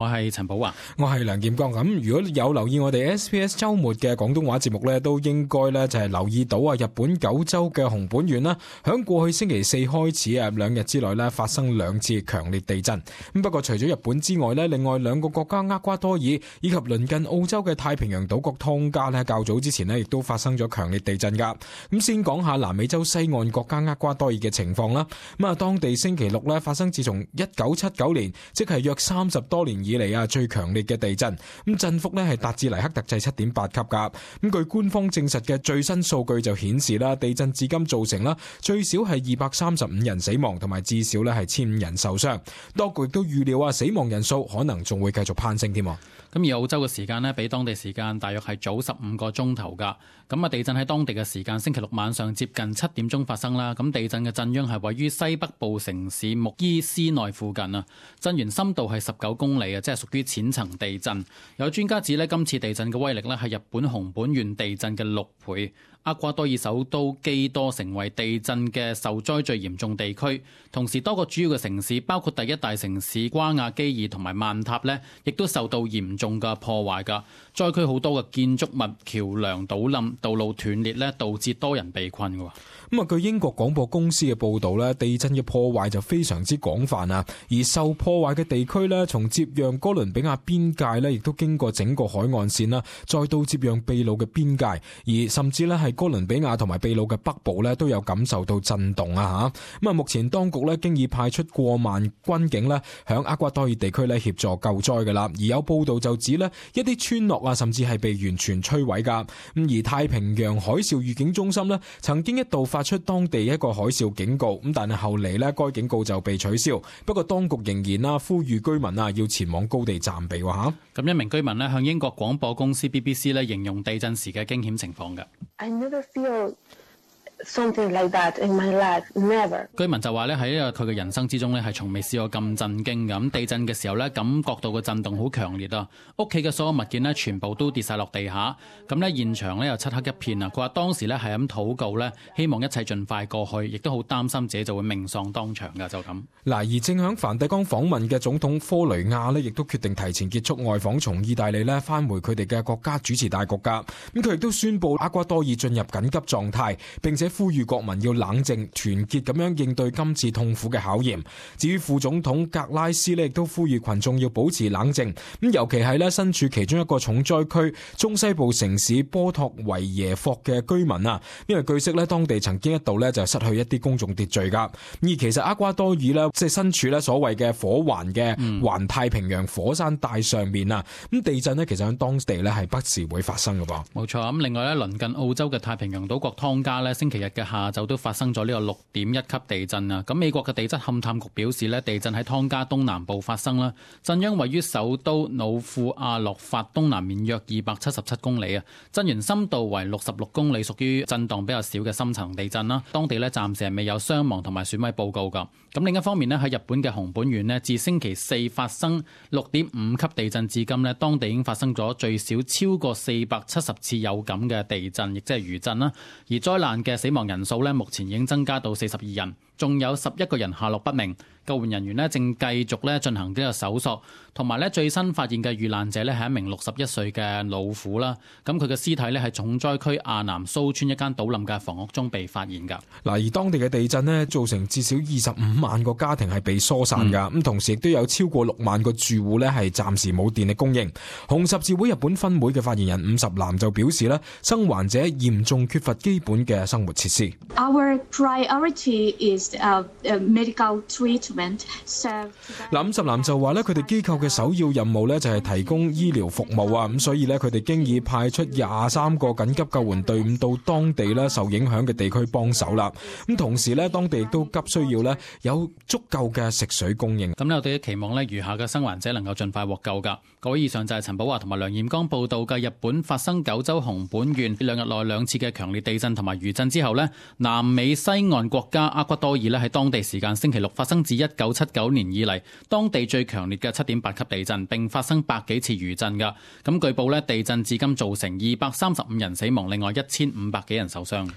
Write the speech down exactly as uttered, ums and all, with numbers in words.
我係陳寶華，我係梁劍剛。咁如果有留意我哋 S B S 周末嘅廣東話節目呢，都應該呢就係留意到啊，日本九州嘅熊本縣啦，響過去星期四開始啊，兩日之內呢發生兩次強烈地震。咁不過除咗日本之外呢，另外兩個國家厄瓜多爾以及鄰近澳洲嘅太平洋島國湯加呢，較早之前呢亦都發生咗強烈地震噶。咁先講下南美洲西岸國家厄瓜多爾嘅情況啦。咁啊，當地星期六呢發生自從一九七九年，即係約三十多年以嚟啊，最強烈嘅地震，咁震幅呢係達至黎克特制七點八級噶。咁據官方證實嘅最新數據就顯示啦，地震至今造成啦最少係二百三十五人死亡，同埋至少呢係千五人受傷。當局亦都預料啊，死亡人數可能仲會繼續攀升添。咁而澳洲嘅時間呢，比當地時間大約係早十五個鐘頭噶。咁啊，地震喺當地嘅時間星期六晚上接近七點鐘發生啦。咁地震嘅震央係位於西北部城市穆伊斯內附近啊，震源深度係十九公里啊，即係屬於淺層地震。有專家指呢，今次地震嘅威力呢係日本熊本縣地震嘅六倍。厄瓜多爾首都基多成為地震嘅受災最嚴重地區，同時多個主要嘅城市，包括第一大城市瓜亞基爾同埋曼塔呢，亦都受到嚴重嘅破壞㗎。災區好多嘅建築物、橋樑倒冧、道路斷裂呢，導致多人被困㗎。咁啊，據英國廣播公司嘅報導呢，地震嘅破壞就非常之廣泛啊，而受破壞嘅地區呢，從接壤哥倫比亞邊界呢，亦都經過整個海岸線啦，再到接壤秘魯嘅邊界，而甚至呢係哥倫比亞同埋秘魯嘅北部呢，都有感受到震動啊嚇。咁啊，目前當局呢，經已派出過萬軍警呢，響厄瓜多爾地區呢協助救災㗎啦。而有報導就指呢，一啲村落啊，甚至係被完全摧毀㗎。咁而太平洋海嘯預警中心呢，曾經一度發出當地一個海嘯警告，咁但係後嚟呢，該警告就被取消。不過當局仍然啦，呼籲居民啊要前往高地暫避喎嚇。咁一名居民呢，向英國廣播公司 B B C 呢形容地震時嘅驚險情況嘅。I never feel something like that in my life, never. 居民就話咧，喺呢個佢嘅人生之中咧，係從未試過咁震驚嘅。咁地震嘅時候咧，感覺到個震動好強烈啊！屋企嘅所有物件咧，全部都跌晒落地下。咁咧現場咧又漆黑一片啊！佢話當時咧係咁禱告咧，希望一切盡快過去，亦都好擔心自己就會命喪當場㗎。就咁嗱，而正響梵蒂岡訪問嘅總統科雷亞呢，亦都決定提前結束外訪，從意大利呢返回佢哋嘅國家主持大局㗎。咁佢亦都宣布厄瓜多爾進入緊急狀態，並且呼籲國民要冷靜團結咁樣應對今次痛苦嘅考驗。至於副總統格拉斯呢，亦都呼籲群眾要保持冷靜，咁尤其係呢身處其中一個重災區中西部城市波托維耶霍嘅居民啊，因為據悉呢，當地曾經一度呢就失去一啲公眾秩序噶。而其實厄瓜多爾呢，即係身處呢所謂嘅火環嘅環太平洋火山帶上面啊，咁地震呢，其實喺當地呢係不時會發生嘅噃。冇錯。咁另外呢，鄰近澳洲嘅太平洋島國湯加呢，星期日嘅下下晝都發生咗呢個六點一級地震啊！咁美國嘅地質勘探局表示呢，地震喺湯加東南部發生啦，震央位於首都努庫阿洛法東南面約二百七十七公里啊，震源深度為六十六公里，屬於震盪比較少嘅深層地震啦。當地呢暫時係未有傷亡同埋損毀報告噶。咁另一方面呢，喺日本嘅熊本縣呢，自星期四發生六點五級地震至今呢，當地已經發生咗最少超過四百七十次有感嘅地震，亦即係餘震啦。而災難嘅死亡人數呢，目前已經增加到四十二人，仲有十一個人下落不明。救援人員呢正繼續咧進行呢個搜索，同埋咧最新發現嘅遇難者咧係一名六十一歲嘅老婦啦。咁佢嘅屍體咧係重災區亞南蘇村一間倒冧嘅房屋中被發現㗎。嗱，而當地嘅地震呢，造成至少二十五萬個家庭係被疏散㗎，咁、嗯、同時亦都有超過六萬個住戶咧係暫時冇電力供應。紅十字會日本分會嘅發言人伍十男就表示咧，生還者嚴重缺乏基本嘅生活設施。Our priority is uh, medical treatment. 嗱，伍十男就話咧，佢哋機構嘅首要任務咧就係提供醫療服務啊，咁所以咧佢哋經已派出廿三個緊急救援隊伍到當地咧受影響嘅地區幫手啦。咁同時咧，當地亦都急需要咧有足夠嘅食水供應。咁咧，我哋期望咧餘下嘅生還者能夠盡快獲救噶。各位，以上就係陳寶華同埋梁彥剛報道嘅日本發生九州熊本縣兩日內兩次嘅強烈地震同埋餘震之後呢，南美西岸國家厄瓜多爾咧喺當地時間星期六發生自一九七九年以嚟當地最強烈嘅七點八級地震，並發生百幾次餘震噶。咁據報咧，地震至今造成二百三十五人死亡，另外一千五百幾人受傷。